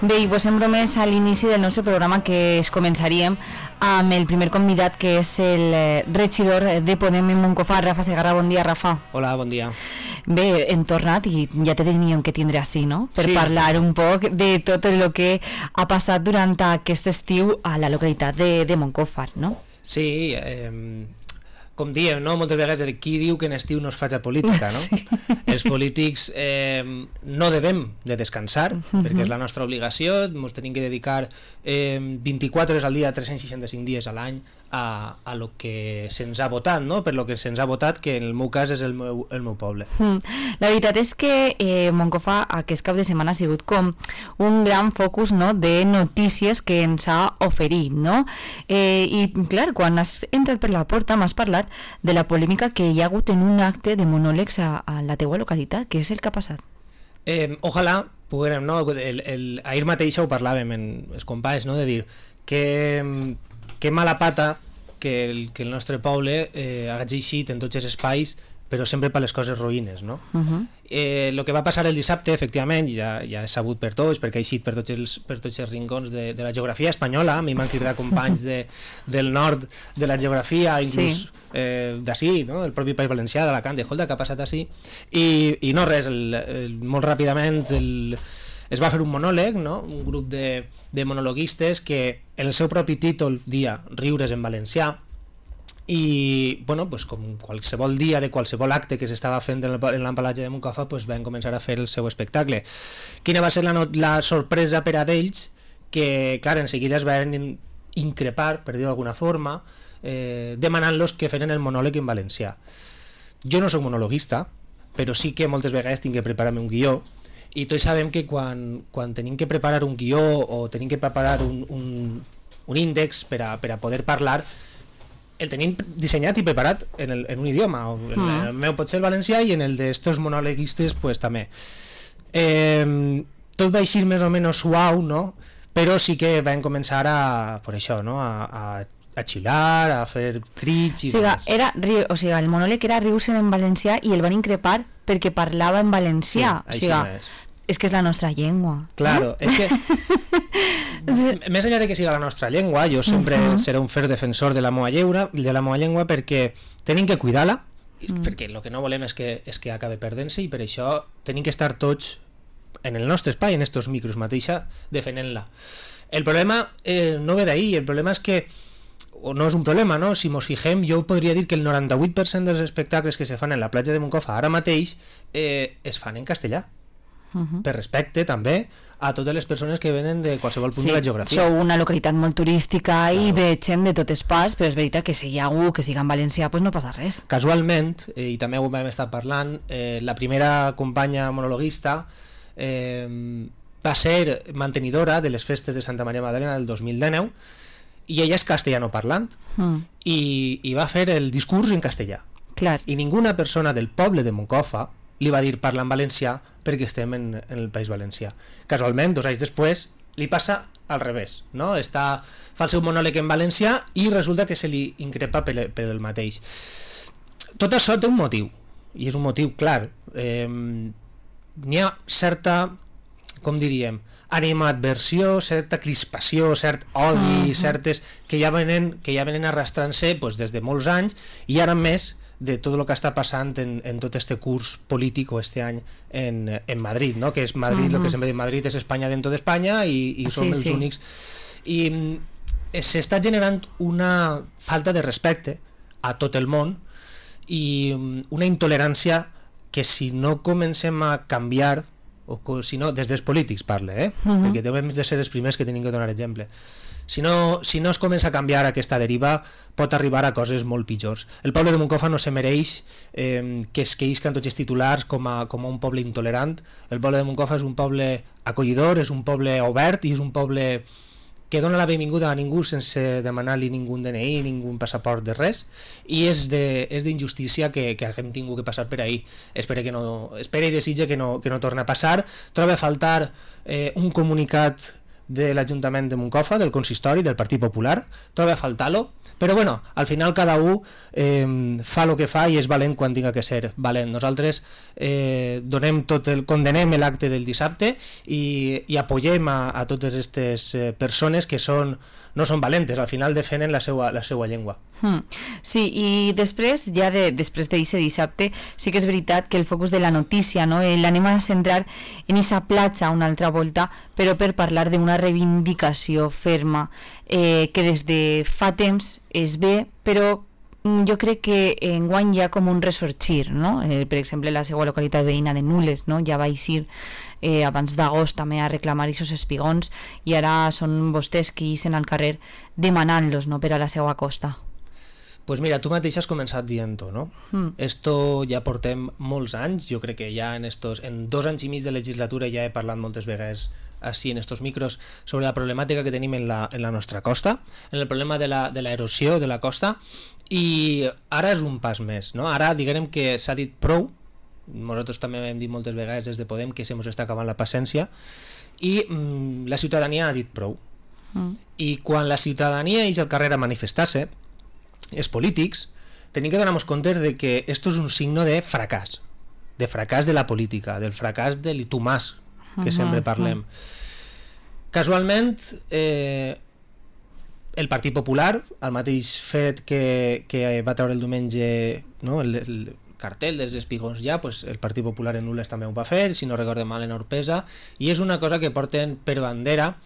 Bé, i posem bromes a l'inici del nostre programa, que es començaríem amb el primer convidat, que és el regidor de Podem en Moncofa, Rafa Segarra. Bon dia, Rafa. Hola, bon dia. Bé, hem tornat i ja te teníem que tindre així, no? Per parlar un poc de tot el que ha passat durant aquest estiu a la localitat de Moncofa, no? Sí, com diem, no? Moltes vegades qui diu que en estiu no es faig política, no? Sí. Els polítics no devem de descansar, perquè és la nostra obligació, ens tenim que dedicar 24 hores al dia, 365 dies a l'any a lo que se'ns ha votat, no? Per lo que se'ns ha votat, que en el meu cas és el meu poble. La veritat és que Moncofa aquest cap de setmana ha sigut com un gran focus, no?, de notícies que ens ha oferit, no? I clar, quan has entrat per la porta m'has parlat de la polèmica que hi ha hagut en un acte de monòlegs a la teua localitat. Què és el que ha passat? Ojalà poguérem, no? Ahir mateix ho parlàvem amb els companys, no? De dir que mala pata que el nostre poble hagi eixit en tots els espais, però sempre per les coses roïnes, no? El que va passar el dissabte, efectivament, ja és sabut per tots, perquè ha eixit per tots els rincons de la geografia espanyola. A mi m'han cridat companys del nord de la geografia, inclús d'ací, no? El propi País Valencià, d'Alacant, escolta, què ha passat així? I no res, molt ràpidament es va fer un monòleg, no? Un grup de monologuistes que en el seu propi títol dia Riures en valencià, i bueno, pues, com qualsevol dia de qualsevol acte que s'estava fent en l'empalatge de Moncofa, pues, van començar a fer el seu espectacle. Quina va ser la sorpresa per a d'ells? Que clar, en seguida es van increpar, per dir-ho d'alguna forma, demanant-los que feren el monòleg en valencià. Jo no soc monologuista, però sí que moltes vegades tinc que preparar-me un guió, i tots sabem que quan tenim que preparar un guió o tenim que preparar un índex per a poder parlar, el tenim dissenyat i preparat en un idioma, en el meu potser el valencià, i en el d'estos monologuistes pues, també. Tot va eixir més o menys suau, no? Però sí que vam començar per això, no? A xilar, a fer crits i el monòleg era rius en valencià i el van increpar perquè parlava en valencià. És que és la nostra llengua. Claro, és que més enllà de que siga la nostra llengua, jo sempre seré un fer defensor de la meva llengua, perquè tenim que cuidar-la, perquè el que no volem és que acabe perdent-se, i per això tenim que estar tots en el nostre espai, en estos micros mateixa, defendent-la. El problema no ve d'ahir, el problema és que, o no és un problema, no? Si mos fixem, jo podria dir que el 98% dels espectacles que se fan en la platja de Moncofa ara mateix es fan en castellà. Per respecte també a totes les persones que venen de qualsevol punt de la geografia. Sou una localitat molt turística i ve gent de totes parts, però és veritat que si hi ha algú que siga en valencià, pues no passa res. Casualment, i també ho vam estar parlant, la primera companya monologuista va ser mantenidora de les festes de Santa Maria Magdalena del 2019, i ella és castellanoparlant, i va fer el discurs en castellà. Clar. I ninguna persona del poble de Moncofa li va dir parlar en valencià perquè estem en el País Valencià. Casualment, 2 anys després, li passa al revés, no? Fa el seu monòleg en valencià i resulta que se li increpa per el mateix. Tot això té un motiu, i és un motiu clar. N'hi ha certa, com diríem, animadversió, certa crispació, cert odi, certes que ja venen arrastrant-se pues, des de molts anys, i ara més de tot el que està passant en tot este curs polític o este any en Madrid, no? Que és Madrid, el que sempre dic, Madrid és Espanya dentro d'Espanya i som els únics. I s'està generant una falta de respecte a tot el món i una intolerància que si no comencem a canviar, o si no, des dels polítics parle, perquè devem de ser els primers que tenim que donar exemple. Si no es comença a canviar aquesta deriva, pot arribar a coses molt pitjors. El poble de Moncofa no se mereix que es queixen tots els titulars com a un poble intolerant. El poble de Moncofa és un poble acollidor, és un poble obert i és un poble que dona la benvinguda a ningú sense demanar-li ningú DNI, ningú passaport de res, i és d'injustícia que hem tingut que passar per ahir. Espera i desitja que no torni a passar. Troba a faltar un comunicat de l'Ajuntament de Moncofa, del Consistori, del Partit Popular, troba a faltar-lo, Però bueno, al final cada un fa el que fa i és valent quan tinga que ser valent. Nosaltres condenem l'acte del dissabte i apoyem a totes aquestes persones que no són valentes, al final defenen la seva llengua. Sí, i després, després d'aquest dissabte, sí que és veritat que el focus de la notícia, no, l'anem a centrar en aquesta platja una altra volta, però per parlar d'una reivindicació ferma que des de fa temps es ve, però jo crec que enguany hi ha com un ressorgir, no? Per exemple, la seva localitat veïna de Nules, no? Ja va eixir abans d'agost també a reclamar aquests espigons i ara són vostès qui ixen al carrer demanant-los, no?, per a la seva costa. Pues mira, tu mateix has començat dient-ho, no? Esto ja portem molts anys, jo crec que ja en 2 anys i mig de legislatura ja he parlat moltes vegades així en estos micros sobre la problemàtica que tenim en la nostra costa, en el problema de la erosió de la costa, i ara és un pas més, no? Ara diguem que s'ha dit prou, nosaltres també hem dit moltes vegades des de Podem que se mos està acabant la paciència, i la ciutadania ha dit prou. I quan la ciutadania ix al carrer a manifestar-se, els polítics tenim que donar-nos compte de que esto és un signe de fracàs de la política, del fracàs de l'itumàs que sempre parlem. Casualment el Partit Popular, el mateix fet que va treure el diumenge, no, el cartell dels espigons ja, pues el Partit Popular en Nules també ho va fer, si no recorde mal en Orpesa, i és una cosa que porten per bandera.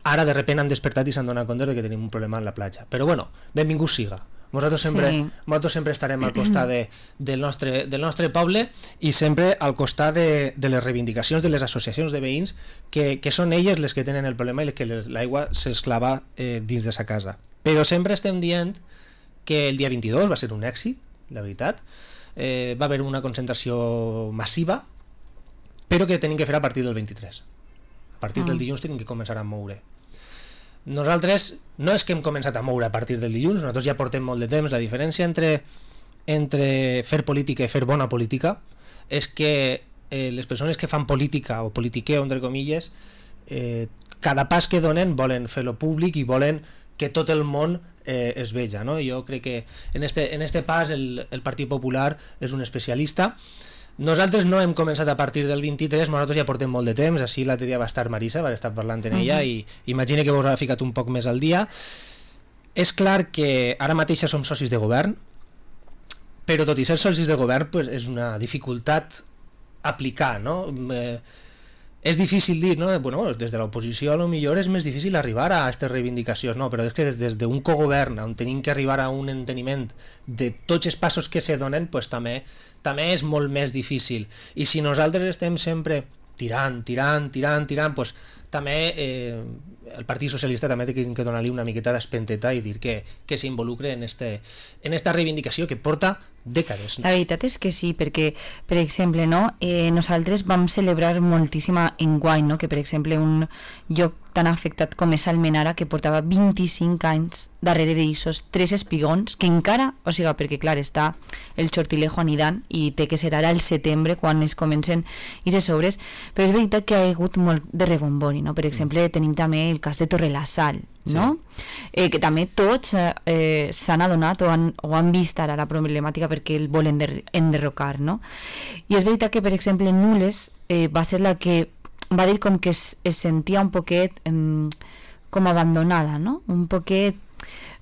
Ara de repente han despertat i s'han donat compte de que tenim un problema en la platja, però bueno, benvingut siga. Nosaltres sempre estarem al costat del nostre poble i sempre al costat de les reivindicacions de les associacions de veïns que són elles les que tenen el problema i que l'aigua s'esclava dins de sa casa. Però sempre estem dient que el dia 22 va ser un èxit, la veritat, va haver una concentració massiva, però que tenim que fer a partir del 23. A partir del dilluns tenim que començar a moure. Nosaltres no és que hem començat a moure a partir del dilluns, nosaltres ja portem molt de temps. La diferència entre fer política i fer bona política és que les persones que fan política o politiqueo, entre comilles, cada pas que donen volen fer-lo públic i volen que tot el món es veja, no? Jo crec que en este pas el Partit Popular és un especialista. Nosaltres no hem començat a partir del 23, nosaltres ja portem molt de temps, així l'altre dia va estar Marisa, va estar parlant en ella i imagina que vos ha ficat un poc més al dia. És clar que ara mateix ja som socis de govern, però tot i ser socis de govern pues, és una dificultat aplicar, no? És difícil dir, no? Bueno, des de l'oposició a lo millor és més difícil arribar a aquestes reivindicacions, no? Però és que des d'un cogovern on tenim que arribar a un enteniment de tots els passos que se donen, pues, també és molt més difícil. I si nosaltres estem sempre tirant, pues, també el Partit Socialista també té que donar-li una miqueta d'espenteta i dir que s'involucre en esta reivindicació que porta dècades. La veritat és que sí, perquè, per exemple, no, nosaltres vam celebrar moltíssima enguany, no, que per exemple un lloc tan afectat com és Almenara, que portava 25 anys darrere d'aixos 3 espigons, que encara, o sigui, perquè clar, està el Chortilejo anidant i té que ser ara el setembre quan es comencen aquestes obres, però és veritat que ha hagut molt de rebombori, no? Per exemple, tenim també el cas de Torrelasal, no? Sí. Que també tots s'han adonat o han vist ara la problemàtica perquè el volen enderrocar, no? I és veritat que, per exemple, Nules va ser la que va dir com que es sentia un poquet com abandonada, no? Un poquet...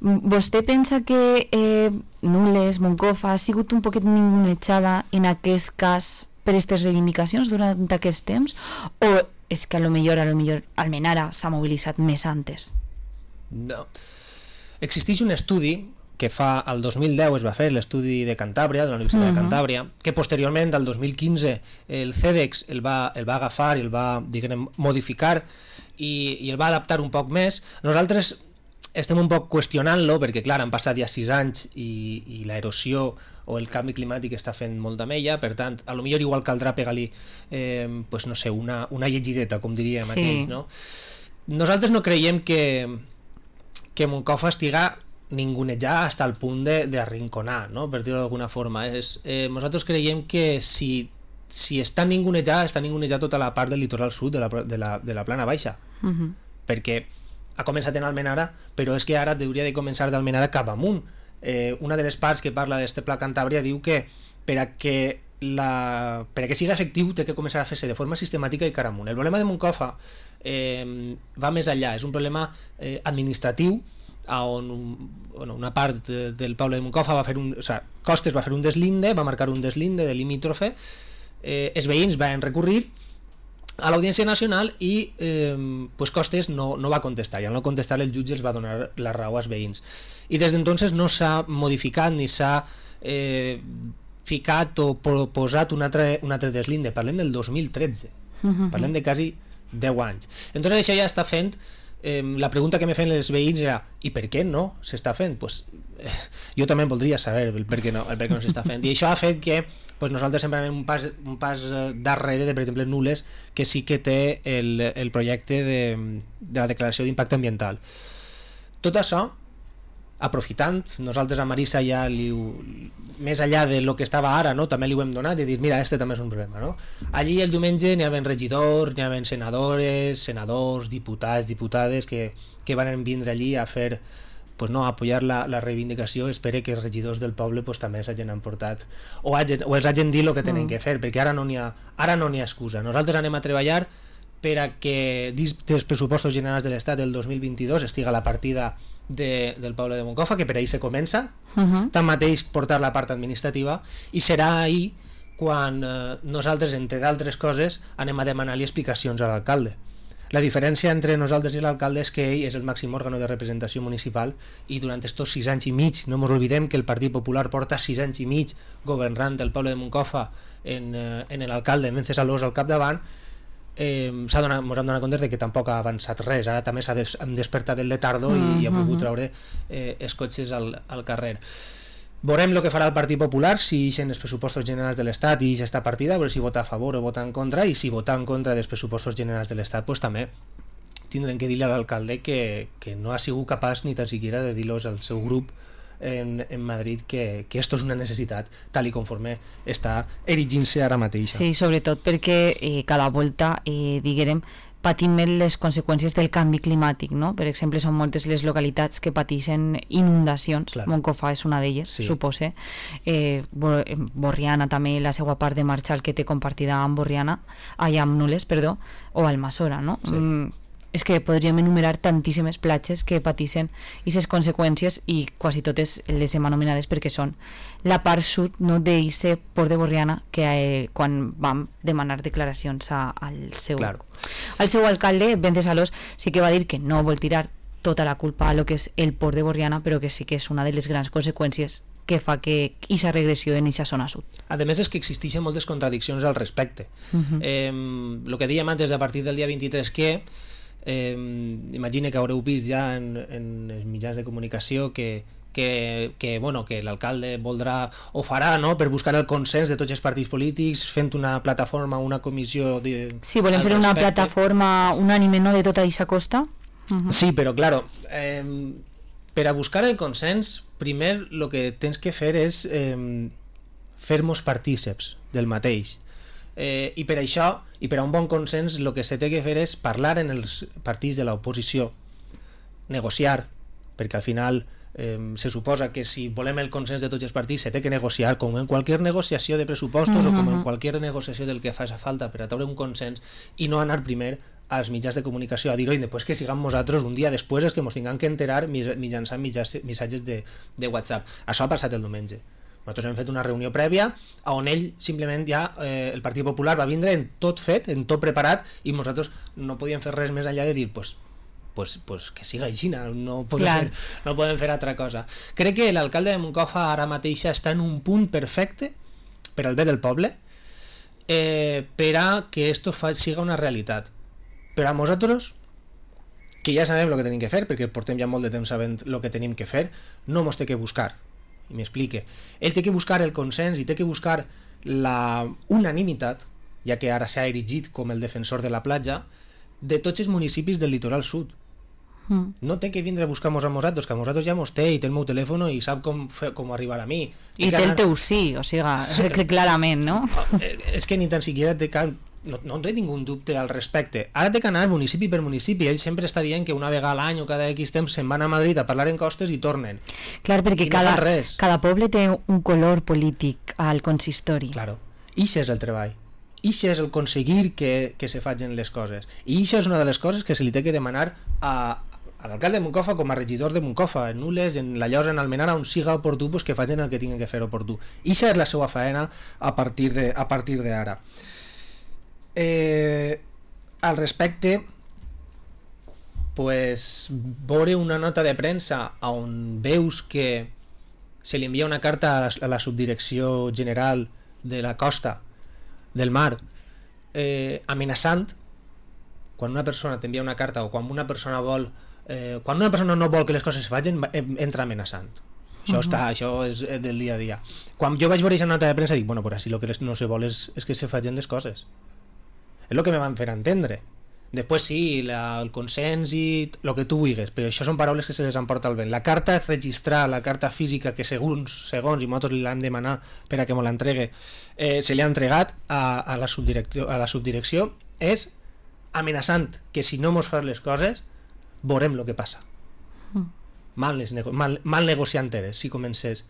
Vostè pensa que Nules, Moncofa, ha sigut un poquet ningunejada en aquest cas per aquestes reivindicacions durant aquest temps? O és que a lo millor Almenara s'ha mobilitzat més antes? No. Existeix un estudi que fa el 2010 es va fer, l'estudi de Cantàbria, de la Universitat de Cantàbria, que posteriorment, al 2015, el CEDEX el va agafar i el va, diguem, modificar i el va adaptar un poc més. Nosaltres estem un poc qüestionant-lo perquè, clar, han passat ja 6 anys i l'erosió o el canvi climàtic està fent molt amb ella, per tant, a lo millor igual caldrà pegar-li pues, no sé, una llegideta, com diríem aquells, no? Nosaltres no creiem que Moncofa estiga ningunejar hasta el punt d'arrinconar, no? Per dir-ho d'alguna forma. Nosaltres creiem que si està ningunejar tota la part del litoral sud de la plana baixa, perquè ha començat en Almenara, però és que ara hauria de començar d'Almenara cap amunt. Una de les parts que parla d'este Pla Cantàbria diu que per a que sigui efectiu té que començar a fer-se de forma sistemàtica i cara amunt. El problema de Moncofa va més enllà, és un problema administratiu on una part del poble de Moncofa Costes va fer un deslinde, va marcar un deslinde de limítrofe, els veïns van recurrir a l'Audiència Nacional i Costes no va contestar, i al no contestar el jutge els va donar la raó als veïns, i des d'entonces no s'ha modificat ni s'ha ficat o proposat un altre deslinde. Parlem del 2013, parlem de quasi 10 anys. Entonces això ja està fent. La pregunta que me feien els veïns era: i per què no s'està fent? Jo també voldria saber el per què no s'està fent, i això ha fet que nosaltres sempre anem un pas darrere de, per exemple, Nules, que sí que té el projecte de la declaració d'impacte ambiental. Tot això, aprofitant, nosaltres a Marisa ja més enllà de lo que estava ara, no, també li ho hem donat, i dir, mira, este també és un problema, no? Allí el diumenge n'hi havia regidors, n'hi havia senadors, diputats, diputades que van vindre allí a fer, a apoyar la reivindicació. Espero que els regidors del poble també s'hagin emportat o els hagin dit el que tenen que fer, perquè ara no n'hi ha excusa. Nosaltres anem a treballar per a que dins dels pressupostos generals de l'Estat del 2022 estiga la partida del poble de Moncofa, que per ahir se comença, tanmateix portar la part administrativa, i serà ahir quan nosaltres, entre d'altres coses, anem a demanar-li explicacions a l'alcalde. La diferència entre nosaltres i l'alcalde és que ell és el màxim òrgano de representació municipal, i durant estos 6 anys i mig, no ens oblidem que el Partit Popular porta 6 anys i mig governant el poble de Moncofa en l'alcalde Vences Alós al capdavant, ens hem donat compte que tampoc ha avançat res. Ara també hem despertat el letardo i ha pogut treure els cotxes al carrer. Veurem el que farà el Partit Popular si ixen els pressupostos generals de l'Estat i aquesta partida, veure si vota a favor o vota en contra, i si vota en contra dels pressupostos generals de l'Estat, també tindrem que dir-li a l'alcalde que no ha sigut capaç ni tan siquiera de dir-los al seu grup en Madrid que esto és una necessitat tal i conforme està erigint-se ara mateix. Sí, sobretot perquè cada volta, diguem, patim les conseqüències del canvi climàtic, no? Per exemple, són moltes les localitats que pateixen inundacions. Clar. Moncofa és una d'elles, sí. Supose. Borriana també, la seva part de Marxal que té compartida amb Nules, o Almassora, no? Sí. És que podríem enumerar tantíssimes platges que pateixen aquestes conseqüències, i quasi totes les hem anomenades perquè són la part sud, no, d'aquest port de Borriana, que quan vam demanar declaracions al seu alcalde, Vences Alós, sí que va dir que no vol tirar tota la culpa a lo que és el port de Borriana, però que sí que és una de les grans conseqüències que fa que aquesta regressió en aquesta zona sud. A més, és que existeixen moltes contradiccions al respecte. El que dèiem antes, a partir del dia 23, que imagine que haureu vist ja en els mitjans de comunicació que l'alcalde voldrà o farà, no?, per buscar el consens de tots els partits polítics, fent una plataforma, una comissió sí, volem fer una plataforma unànime, no?, de tota aquesta costa. Sí, però claro, per a buscar el consens, primer el que tens que fer és fer-nos partíceps del mateix. I per això, i per a un bon consens, el que se té que fer és parlar en els partits de l'oposició, negociar, perquè al final se suposa que si volem el consens de tots els partits se té que negociar, com en qualsevol negociació de pressupostos o com en qualsevol negociació del que faci falta per a treure un consens, i no anar primer als mitjans de comunicació a dir, oi, després que siguem nosaltres un dia després és que ens tinguem que enterar mitjançant missatges de WhatsApp. Això ha passat el diumenge. Nosaltres hem fet una reunió prèvia on ell simplement ja, el Partit Popular va vindre en tot fet, en tot preparat, i nosaltres no podíem fer res més enllà de dir pues que siga així, no podem fer altra cosa. Crec que l'alcalde de Moncofa ara mateix està en un punt perfecte per al bé del poble, per a que esto siga una realitat. Però a nosaltres, que ja sabem el que tenim que fer, perquè portem ja molt de temps sabent el que tenim que fer, no mos té que buscar. I m'explique. Ell té que buscar el consens i té que buscar la unanimitat, ja que ara s'ha erigit com el defensor de la platja, de tots els municipis del litoral sud. No té que vindre a buscar-nos a nosaltres, que a nosaltres ja mos té i té el meu telèfon i sap com arribar a mi. I té el teu sí, o sigui, clarament, no? És que ni tan siquiera té cap no té ningú dubte al respecte. Ara té que anar municipi per municipi. Ell sempre està dient que una vegada a l'any o cada X temps se'n van a Madrid a parlar en costes i tornen. Clar, perquè cada poble té un color polític al consistori. Claro. Ixe és el treball. Ixe és el aconseguir que se facin les coses. I ixa és una de les coses que se li té que demanar a l'alcalde de Moncofa com a regidor de Moncofa, en Nules, en La Llosa, en Almenara, on siga oportú, pues que facin el que tinguin que fer oportú. Ixa és la seva faena a partir d'ara. Al respecte, pues veure una nota de premsa on veus que se li envia una carta a la subdirecció general de la costa del mar amenaçant. Quan una persona t'envia una carta o quan una persona no vol que les coses es facin, entra amenaçant. Això és del dia a dia. Quan jo vaig veure aquesta nota de premsa dic, bueno, pues així el que no se vol és que se facin les coses. És el que me van fer entendre. Després sí, el consens i el que tu vulguis, però això són paraules que se les emporta el vent. La carta registral, la carta física que segons i nosaltres li l'hem demanat per a que me l'entregue, se li ha entregat a la subdirecció, és amenaçant que si no mos fas les coses veurem el que passa. Mal negociant eres si comences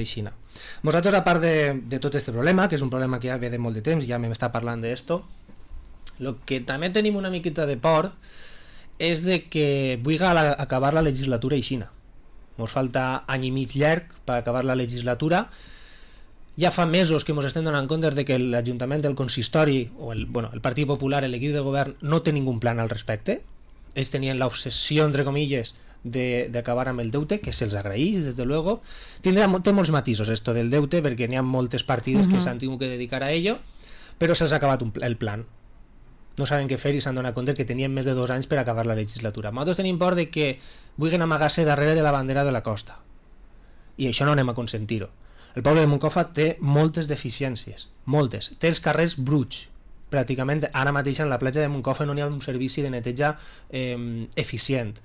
així. Nosaltres, a part de tot aquest problema, que és un problema que ja ve de molt de temps, ja m'està parlant d'esto, el que també tenim una miqueta de por és de que vulgui acabar la legislatura aixina. Ens falta any i mig llarg per acabar la legislatura. Ja fa mesos que ens estem donant compte de que l'Ajuntament, el consistori o el Partit Popular, l'equip de govern, no té ningú plan al respecte. Ells tenien l'obsessió, entre comilles, d'acabar amb el deute, que se'ls agraeix, des de luego. Té molts matisos esto del deute, perquè n'hi ha moltes partides que s'han tingut que dedicar a ello, però se'ls ha acabat el plan. No saben què fer i s'han donat compte que tenien més de 2 anys per acabar la legislatura. Nosaltres tenim por de que vulguin amagar-se darrere de la bandera de la costa, i això no anem a consentir-ho. El poble de Moncofa té moltes deficiències, moltes. Té els carrers bruts. Pràcticament ara mateix en la platja de Moncofa no hi ha un servici de neteja eficient.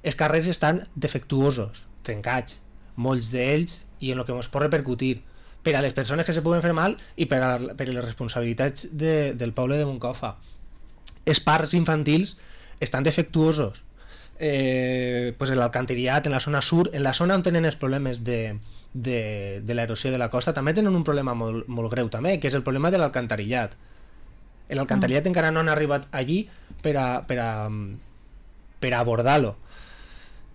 Els carrers estan defectuosos, trencats, molts d'ells, i en el que ens pot repercutir per a les persones que se poden fer mal i per a les responsabilitats del poble de Moncofa. Els parcs infantils estan defectuosos. Pues l'alcantarillat en la zona sur, en la zona on tenen els problemes de l'erosió de la costa, també tenen un problema molt greu també, que és el problema de l'alcantarillat. L'alcantarillat encara no han arribat allí per a abordar-lo.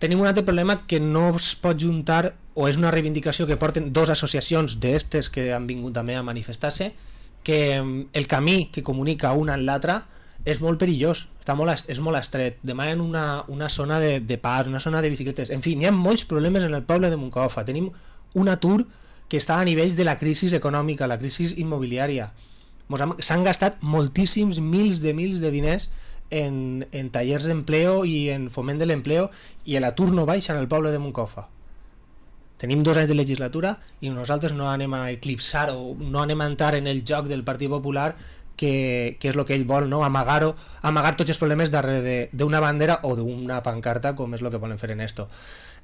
Tenim un altre problema que no es pot juntar, o és una reivindicació que porten 2 associacions d'estes que han vingut també a manifestar-se, que el camí que comunica una amb l'altra és molt perillós, és molt estret. Demanen una zona de pas, una zona de bicicletes. En fi, hi ha molts problemes en el poble de Moncofa. Tenim un atur que està a nivells de la crisi econòmica, la crisi immobiliària. S'han gastat moltíssims mils de diners en tallers d'empleo i en foment de l'empleo, i l'atur no baixa en el poble de Moncofa. Tenim 2 anys de legislatura i nosaltres no anem a eclipsar o no anem a entrar en el joc del Partit Popular, que és el que ell vol, no? Amagar tots els problemes darrere d'una bandera o d'una pancarta, com és el que volen fer en esto.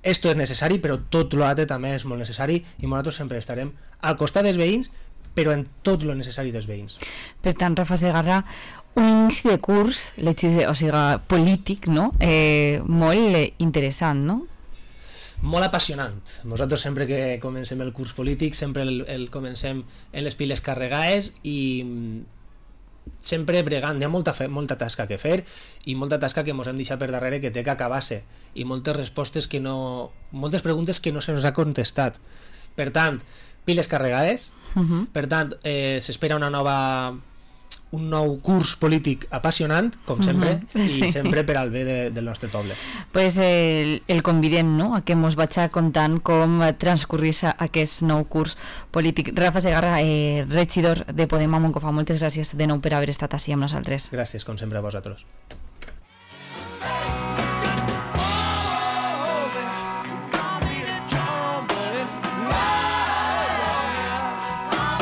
Esto és necessari, però tot l'altre també és molt necessari, i nosaltres sempre estarem al costat dels veïns, però en tot lo necessari dels veïns. Per tant, Rafa Segarra, un inici de curs, o sigui, polític, no? Molt interessant, no? Molt apassionant. Nosaltres sempre que comencem el curs polític sempre el comencem en les piles carregades i sempre bregant. Hi ha molta tasca que fer i molta tasca que ens hem deixat per darrere que té que acabar-se, i moltes preguntes que no se nos ha contestat. Per tant, piles carregades. Per tant, s'espera un nou curs polític apassionant, com sempre, i sempre per al bé del nostre poble. Pues el convidem, no?, a que mos vaig contant com transcorrís aquest nou curs polític. Rafa Segarra, regidor de Podem a Moncofa, moltes gràcies de nou per haver estat així amb nosaltres. Gràcies, com sempre, a vosaltres.